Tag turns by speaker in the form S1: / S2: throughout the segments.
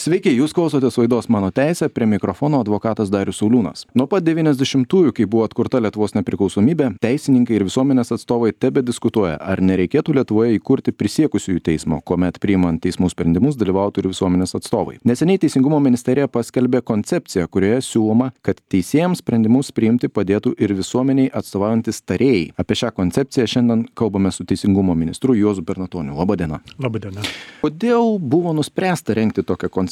S1: Sveiki, jūs klausotės laidos Mano teisė, prie mikrofono advokatas Darius Sauliūnas. Nuo pat 90-ųjų, kai buvo atkurta Lietuvos nepriklausomybė, teisininkai ir visuomenės atstovai tebediskutuoja, ar nereikėtų Lietuvoje įkurti prisiekusiųjų teismo, kuomet priimant teismų sprendimus dalyvautų ir visuomenės atstovai. Neseniai Teisingumo ministerija paskelbė koncepciją, kurioje siūloma, kad teisėjams sprendimus priimti padėtų ir visuomeniai atstovaujantis tarėjai. Apie šią koncepciją šiandien kalbame su Teisingumo ministru Juozu Bernatoniu. Labadiena.
S2: Labadiena.
S1: Kodėl buvo nuspręsta rengti tokią koncepciją?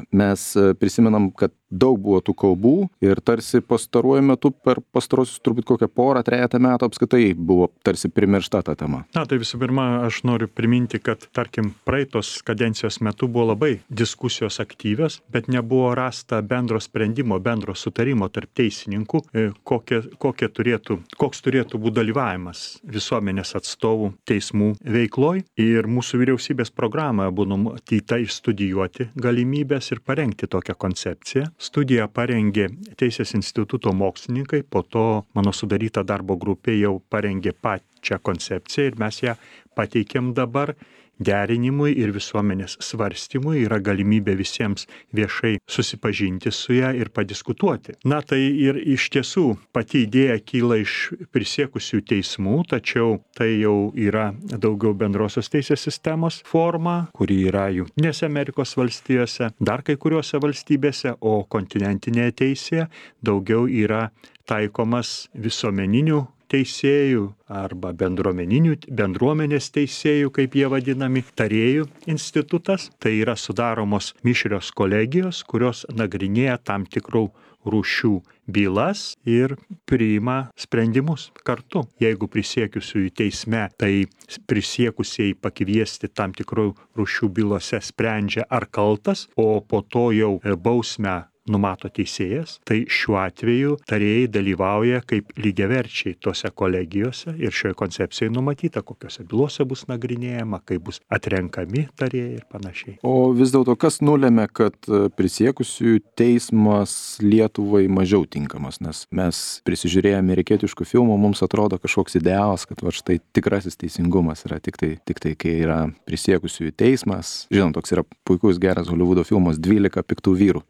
S1: Mes prisimenam, kad daug buvo tų kalbų ir tarsi pastaruoju metu per pastarosius turbūt kokią trejatą metų apskritai buvo tarsi primiršta ta tema.
S2: Tai visų pirma, aš noriu priminti, kad, tarkim, praeitos kadencijos metu buvo labai diskusijos aktyvios, bet nebuvo rasta bendro sprendimo, bendro sutarimo tarp teisininkų, koks turėtų būti dalyvavimas visuomenės atstovų teismų veikloj. Ir mūsų vyriausybės programoje buvo numatyta išstudijuoti galimybės ir parengti tokią koncepciją. Studiją parengė Teisės instituto mokslininkai, po to mano sudaryta darbo grupė jau parengė pačią koncepciją ir mes ją pateikėm dabar derinimui ir visuomenės svarstymui. Yra galimybė visiems viešai susipažinti su ją ir padiskutuoti. Tai ir iš tiesų pati idėja kyla iš prisiekusių teismų, tačiau tai jau yra daugiau bendrosios teisės sistemos forma, kuri yra Jungtinėse Amerikos valstijose, dar kai kuriuose valstybėse, o kontinentinėje teisėje daugiau yra taikomas visuomeninių teisėjų arba bendruomenės teisėjų, kaip jie vadinami, tarėjų institutas. Tai yra sudaromos mišrios kolegijos, kurios nagrinėja tam tikrų rūšių bylas ir priima sprendimus kartu. Jeigu prisiekusiųjų teisme, tai prisiekusieji pakviesti tam tikrų rūšių bylose sprendžia ar kaltas, o po to jau bausmę numato teisėjas, tai šiuo atveju tarėjai dalyvauja kaip lygiaverčiai tose kolegijose ir šioje koncepcijoje numatyta, kokiose bylose bus nagrinėjama, kaip bus atrenkami tarėjai ir panašiai.
S1: O vis dėlto kas nulėmė, kad prisiekusiųjų teismas Lietuvai mažiau tinkamas, nes mes prisižiūrėję amerikietiškų filmų, mums atrodo kažkoks idealas, kad štai tikrasis teisingumas yra tik tai, kai yra prisiekusiųjų teismas. Žinom, toks yra puikus geras Holivudo filmas 12 piktų vyrų.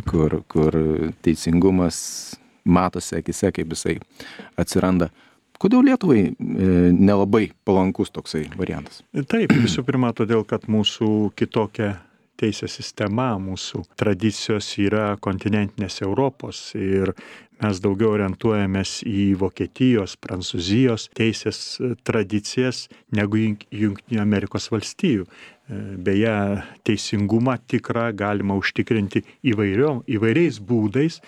S1: Kur teisingumas matosi akise, kaip jisai atsiranda. Kodėl Lietuvai nelabai palankus toksai variantas?
S2: Taip, visų pirma, todėl, kad mūsų kitokia teisės sistema, mūsų tradicijos yra kontinentinės Europos ir mes daugiau orientuojamės į Vokietijos, Prancūzijos teisės tradicijas negu Jungtinių Amerikos valstijų. Beje, teisingumą tikrą galima užtikrinti įvairiais būdais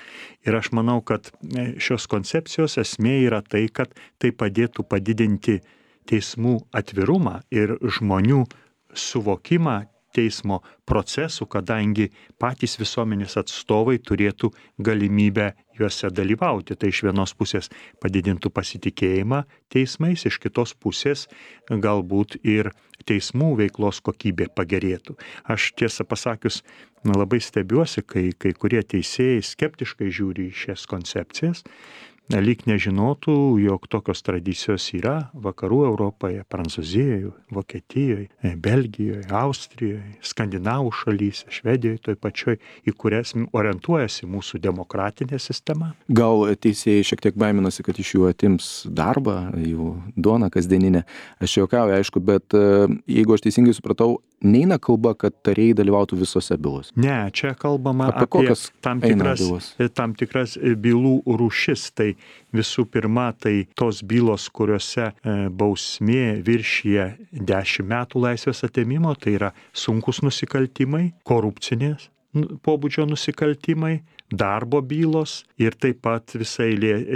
S2: ir aš manau, kad šios koncepcijos esmė yra tai, kad tai padėtų padidinti teismų atvirumą ir žmonių suvokimą teismo procesų, kadangi patys visuomenės atstovai turėtų galimybę juose dalyvauti. Tai iš vienos pusės padidintų pasitikėjimą teismais, iš kitos pusės galbūt ir teismų veiklos kokybė pagerėtų. Aš tiesą pasakius labai stebiuosi, kai kurie teisėjai skeptiškai žiūri į šias koncepcijas, lyg nežinotų, jog tokios tradicijos yra vakarų Europoje, Prancūzijoje, Vokietijoje, Belgijoje, Austrijoje, Skandinavų šalyse, Švedijoje, toj pačioj, į kurias orientuojasi mūsų demokratinė sistema.
S1: Gal teisėjai šiek tiek baiminasi, kad iš jų atims darbą, jų duoną kasdieninę. Aš juokauju, aišku, bet jeigu aš teisingai supratau, neina kalba, kad tarėjai dalyvautų visose bylose.
S2: Ne, čia kalbama apie tam tikras bylų rūšis. Tai visų pirma, tai tos bylos, kuriuose bausmė viršija 10 metų laisvės atėmimo, tai yra sunkus nusikaltimai, korupcinės pobūdžio nusikaltimai, darbo bylos ir taip pat visai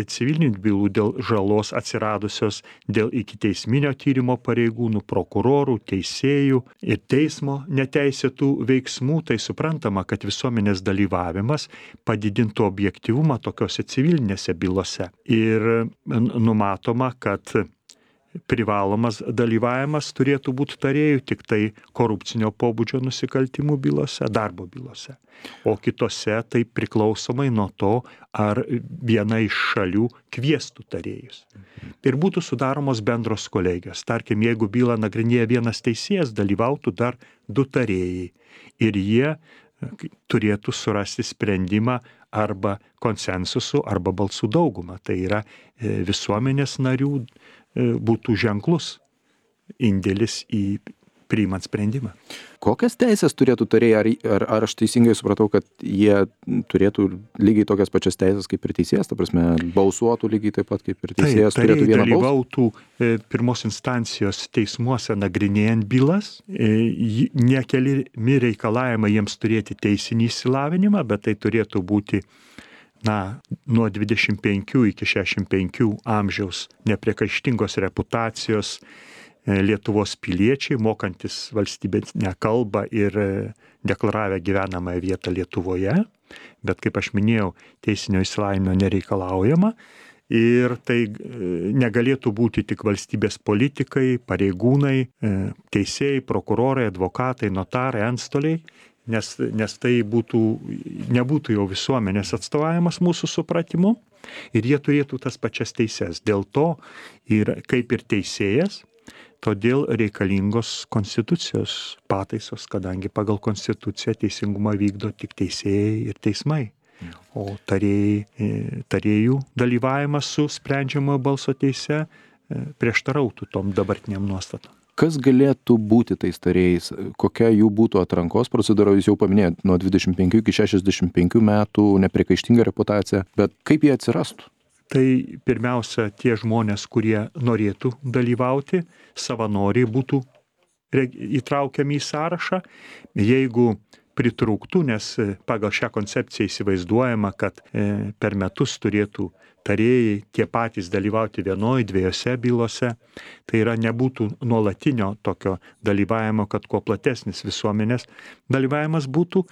S2: civilinių bylų dėl žalos atsiradusios dėl ikiteisminio tyrimo pareigūnų, prokurorų, teisėjų ir teismo neteisėtų veiksmų. Tai suprantama, kad visuomenės dalyvavimas padidintų objektyvumą tokiose civilinėse bylose. Ir numatoma, kad privalomas dalyvavimas turėtų būti tarėjų tik tai korupcinio pobūdžio nusikaltimų bylose, darbo bylose. O kitose tai priklausomai nuo to, ar viena iš šalių kviestų tarėjus. Ir būtų sudaromos bendros kolegijos. Tarkim, jeigu bylą nagrinėja vienas teisėjas, dalyvautų dar 2 tarėjai. Ir jie turėtų surasti sprendimą arba konsensusu, arba balsų daugumą. Tai yra visuomenės narių būtų ženklus indėlis į priimant sprendimą.
S1: Kokias teisės turėtų tarėjai? Ar aš teisingai supratau, kad jie turėtų lygiai tokias pačias teisės kaip ir teisėjas, ta prasme, balsuotų lygiai taip pat kaip ir teisėjas, turėtų vieną balsą?
S2: Dalyvautų pirmos instancijos teismuose nagrinėjant bylas, nekeliami reikalavimai jiems turėti teisinį išsilavinimą, bet tai turėtų būti nuo 25 iki 65 amžiaus nepriekaištingos reputacijos Lietuvos piliečiai, mokantis valstybinę kalbą ir deklaravę gyvenamąją vietą Lietuvoje, bet kaip aš minėjau, teisinio išsilavinimo nereikalaujama ir tai negalėtų būti tik valstybės politikai, pareigūnai, teisėjai, prokurorai, advokatai, notarai, antstoliai, nes tai nebūtų jau visuomenės atstovavimas mūsų supratimu ir jie turėtų tas pačias teises. Dėl to ir kaip ir teisėjas, todėl reikalingos konstitucijos pataisos, kadangi pagal konstituciją teisingumą vykdo tik teisėjai ir teismai. O tarėjų dalyvavimas su sprendžiamojo balso teise prieštarautų tom dabartiniam nuostatom.
S1: Kas galėtų būti tais tarėjais? Kokia jų būtų atrankos procedūra? Jūs jau paminėjot, nuo 25 iki 65 metų nepriekaištinga reputacija, bet kaip jie atsirastų?
S2: Tai pirmiausia, tie žmonės, kurie norėtų dalyvauti, savanoriai būtų įtraukiami į sąrašą. Jeigu pritrūktų, nes pagal šią koncepciją įsivaizduojama, kad per metus turėtų tarėjai tie patys dalyvauti vienoje, dviejose bylose, tai yra nebūtų nuolatinio tokio dalyvavimo, kad kuo platesnis visuomenės dalyvavimas būtų,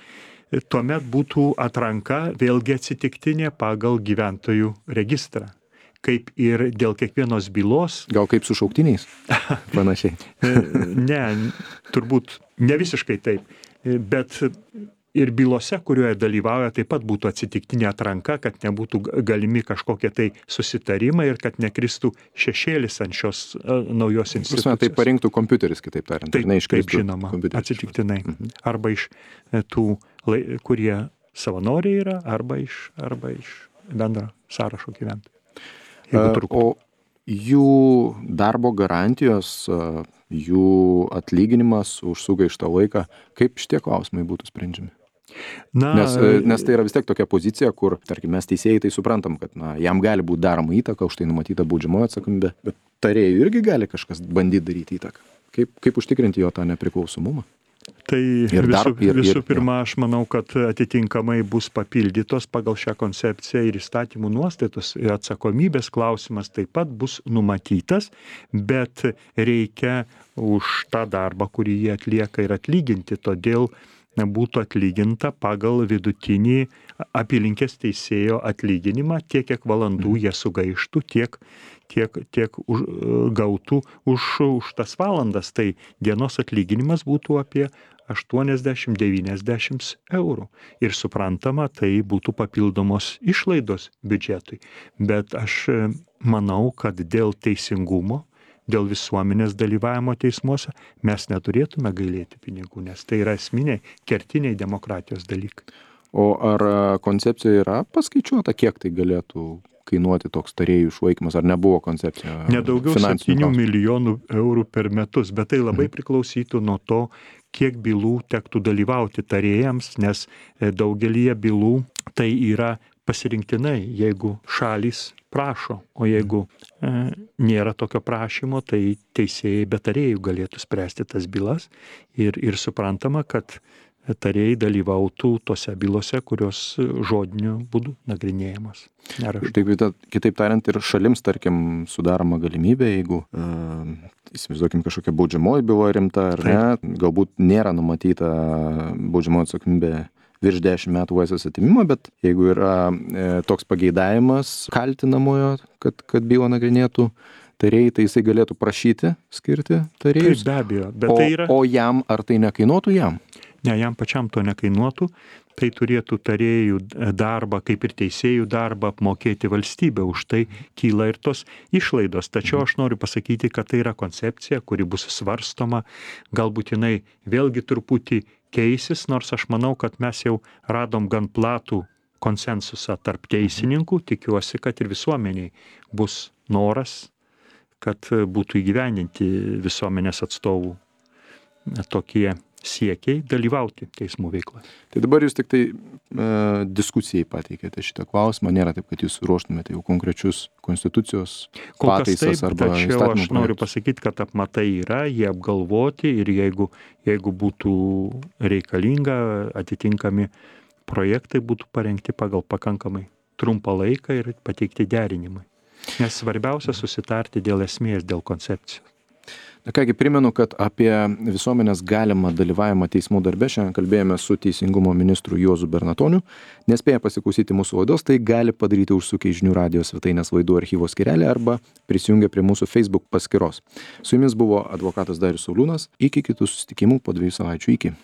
S2: tuomet būtų atranka vėlgi atsitiktinė pagal gyventojų registrą. Kaip ir dėl kiekvienos bylos.
S1: Gal kaip su šauktiniais? Panašiai.
S2: Ne, turbūt ne visiškai taip, bet ir bylose, kurioje dalyvauja, taip pat būtų atsitiktinė atranka, kad nebūtų galimi kažkokie tai susitarimai ir kad nekristų šešėlis ant šios naujos institucijos.
S1: Tai parinktų kompiuteris, kitaip tariant.
S2: Taip žinoma, atsitiktinai. Arba iš tų, kurie savanoriai yra, arba iš bendro sąrašo gyventojų.
S1: O jų darbo garantijos, jų atlyginimas už sugaištą laiką, kaip šitie klausimai būtų sprendžiami? Nes tai yra vis tiek tokia pozicija, kur, tarkim, mes teisėjai tai suprantam, kad jam gali būti daroma įtaka, už tai numatyta baudžiamoji atsakomybė, bet tarėjui irgi gali kažkas bandyti daryti įtaką. Kaip užtikrinti jo tą nepriklausomumą?
S2: Tai visų pirma, aš manau, kad atitinkamai bus papildytos pagal šią koncepciją ir įstatymų nuostatos ir atsakomybės klausimas taip pat bus numatytas, bet reikia už tą darbą, kurį jie atlieka, ir atlyginti, todėl būtų atlyginta pagal vidutinį apylinkės teisėjo atlyginimą, tiek kiek valandų jie sugaištų, tiek gautų už tas valandas. Tai dienos atlyginimas būtų apie 80-90 eurų. Ir suprantama, tai būtų papildomos išlaidos biudžetui. Bet aš manau, kad dėl teisingumo, dėl visuomenės dalyvavimo teismuose mes neturėtume gailėti pinigų, nes tai yra esminiai, kertiniai demokratijos dalykai.
S1: O ar koncepcija yra paskaičiuota, kiek tai galėtų kainuoti toks tarėjų išlaikymas, ar nebuvo koncepcija?
S2: Nedaugiau 7 milijonų eurų per metus, bet tai labai priklausytų nuo to, kiek bylų tektų dalyvauti tarėjams, nes daugelyje bylų tai yra pasirinktinai, jeigu šalys prašo, o jeigu nėra tokio prašymo, tai teisėjai be tarėjų galėtų spręsti tas bylas ir suprantama, kad tarėjai dalyvautų tose bylose, kurios žodiniu būdu nagrinėjamos.
S1: Kitaip tariant, ir šalims, tarkim, sudaroma galimybė, jeigu įsivaizduokim kažkokia baudžiamoji byla rimta ar ne, galbūt nėra numatyta baudžiamoji atsakomybė virš 10 metų laisvės atėmimo, bet jeigu yra toks pageidavimas kaltinamojo, kad bylą nagrinėtų tarėjai, tai jisai galėtų prašyti skirti tarėjus.
S2: Taip, be abejo, bet tai yra...
S1: O jam, ar tai nekainuotų jam?
S2: Ne, jam pačiam to nekainuotų, tai turėtų tarėjų darbą, kaip ir teisėjų darbą, apmokėti valstybę, už tai kyla ir tos išlaidos. Tačiau aš noriu pasakyti, kad tai yra koncepcija, kuri bus svarstoma, galbūt jinai vėlgi truputį keisis, nors aš manau, kad mes jau radom gan platų konsensusą tarp teisininkų, tikiuosi, kad ir visuomeniai bus noras, kad būtų įgyvendinti visuomenės atstovų tokie siekiai dalyvauti teismų veikloje.
S1: Tai dabar jūs tik tai diskusijai pateikėte šitą klausimą, nėra taip, kad jūs ruoštumėte jau konkrečius konstitucijos pataisas arba
S2: tačiau
S1: įstatymų
S2: aš noriu
S1: projektus.
S2: pasakyti, kad apmatai yra, jie apgalvoti ir jeigu būtų reikalinga, atitinkami projektai būtų parengti pagal pakankamai trumpą laiką ir pateikti derinimui. Nes svarbiausia susitarti dėl esmės, dėl koncepcijos.
S1: Na kągi, primenu, kad apie visuomenės galimą dalyvavimą teismų darbe šiandien kalbėjome su Teisingumo ministru Juozu Bernatoniu. Nespėję pasiklausyti mūsų laidos, tai gali padaryti užsukę į Žinių radijo svetainės laidų archyvo skyrelį arba prisijungę prie mūsų Facebook paskyros. Su jumis buvo advokatas Darius Sauliūnas. Iki kitų susitikimų po 2 savaičių. Iki.